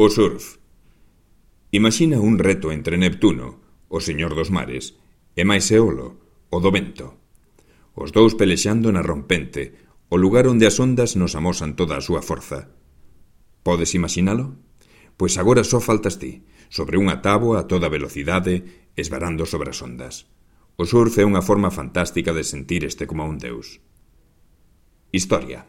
O surf. Imaxina un reto entre Neptuno, o señor dos mares, e máis Eolo, o do vento. Os dous pelexando na rompente, o lugar onde as ondas nos amosan toda a súa forza. Podes imaxinalo? Pois agora só faltas ti, sobre unha táboa a toda velocidade, esvarando sobre as ondas. O surf é unha forma fantástica de sentir este como un deus. Historia.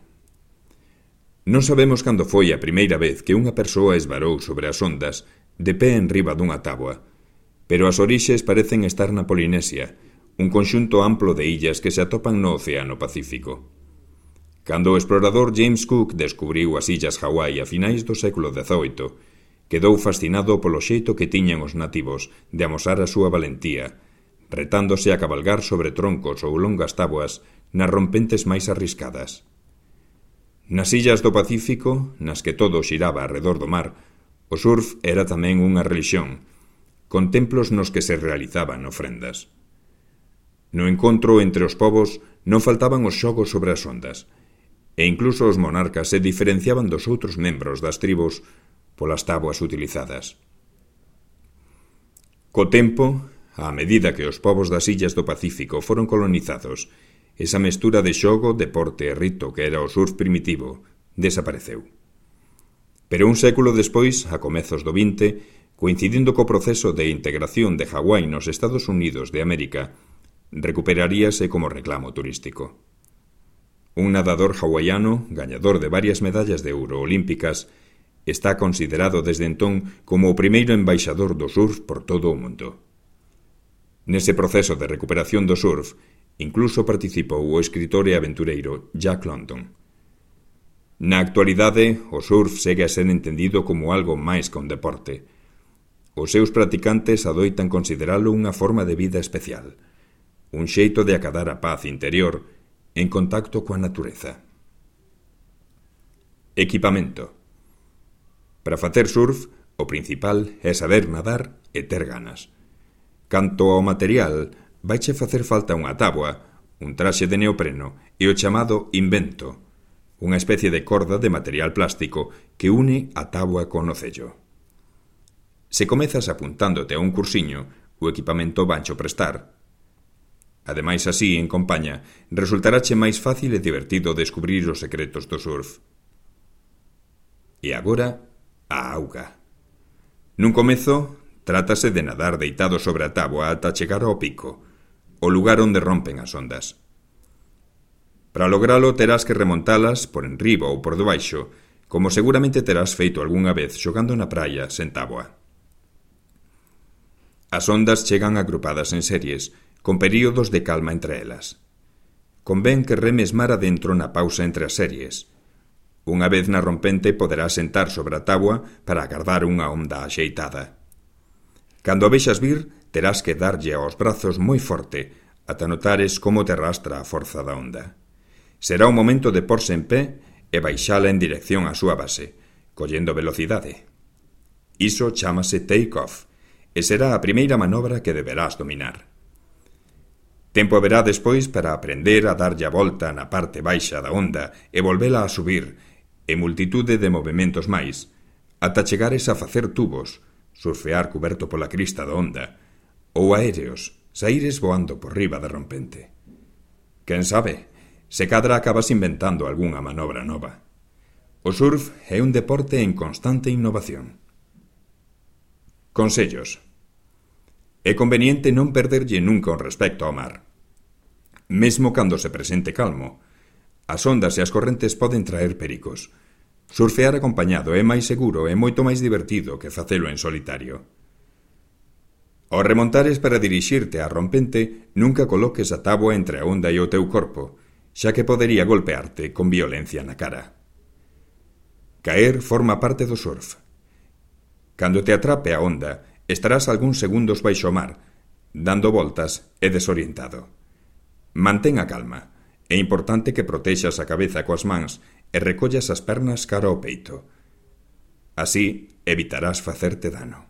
Non sabemos cando foi a primeira vez que unha persoa esvarou sobre as ondas de pé enriba dunha táboa, pero as orixes parecen estar na Polinesia, un conxunto amplo de illas que se atopan no Océano Pacífico. Cando o explorador James Cook descubriu as illas Hawái a finais do século XVIII, quedou fascinado polo xeito que tiñan os nativos de amosar a súa valentía, retándose a cabalgar sobre troncos ou longas táboas nas rompentes máis arriscadas. Nas illas do Pacífico, nas que todo xiraba arredor do mar, o surf era tamén unha relixión, con templos nos que se realizaban ofrendas. No encontro entre os povos non faltaban os xogos sobre as ondas, e incluso os monarcas se diferenciaban dos outros membros das tribos polas táboas utilizadas. Co tempo, a medida que os povos das illas do Pacífico foron colonizados, esa mestura de xogo, deporte e rito que era o surf primitivo desapareceu. Pero un século despois, a comezos do XX, coincidindo co proceso de integración de Hawái nos Estados Unidos de América, recuperaríase como reclamo turístico. Un nadador hawaiano, gañador de varias medallas de ouro olímpicas, está considerado desde entón como o primeiro embaixador do surf por todo o mundo. Nese proceso de recuperación do surf, incluso participou o escritor e aventureiro Jack London. Na actualidade, o surf segue a ser entendido como algo máis que un deporte. Os seus practicantes adoitan consideralo unha forma de vida especial, un xeito de acadar a paz interior en contacto coa natureza. Equipamento. Para facer surf, o principal é saber nadar e ter ganas. Canto ao material, vaiche facer falta unha táboa, un traxe de neopreno e o chamado invento, unha especie de corda de material plástico que une a táboa con o cello. Se comezas apuntándote a un cursiño, o equipamento vancho prestar. Ademais, así, en compaña, resultarache máis fácil e divertido descubrir os secretos do surf. E agora, a auga. Nun comezo, trátase de nadar deitado sobre a táboa ata chegar ao pico, o lugar onde rompen as ondas. Para logralo terás que remontalas por enriba ou por debaixo, como seguramente terás feito algunha vez xogando na praia sen táboa. As ondas chegan agrupadas en series, con períodos de calma entre elas. Convén que remes mar adentro na pausa entre as series. Unha vez na rompente poderás sentar sobre a táboa para agardar unha onda axeitada. Cando a vexas vir, terás que darlle aos brazos moi forte, ata notares como te arrastra a forza da onda. Será o momento de porse en pé e baixala en dirección á súa base, collendo velocidade. Iso chámase take-off, e será a primeira manobra que deberás dominar. Tempo haberá despois para aprender a darlle a volta na parte baixa da onda e volvela a subir, e multitude de movementos máis, ata chegares a facer tubos, surfear cuberto pola crista da onda, ou aéreos, saíres voando por riba da rompente. Quen sabe, se cadra acabas inventando algunha manobra nova. O surf é un deporte en constante innovación. Consellos. É conveniente non perderlle nunca o respecto ao mar. Mesmo cando se presente calmo, as ondas e as correntes poden traer pericos. Surfear acompañado é máis seguro e moito máis divertido que facelo en solitario. Ao remontares para dirixirte á rompente, nunca coloques a táboa entre a onda e o teu corpo, xa que podería golpearte con violencia na cara. Caer forma parte do surf. Cando te atrape a onda, estarás algúns segundos baixo o mar, dando voltas e desorientado. Mantén a calma. É importante que protexas a cabeza coas mans e recollas as pernas cara ao peito. Así evitarás facerte dano.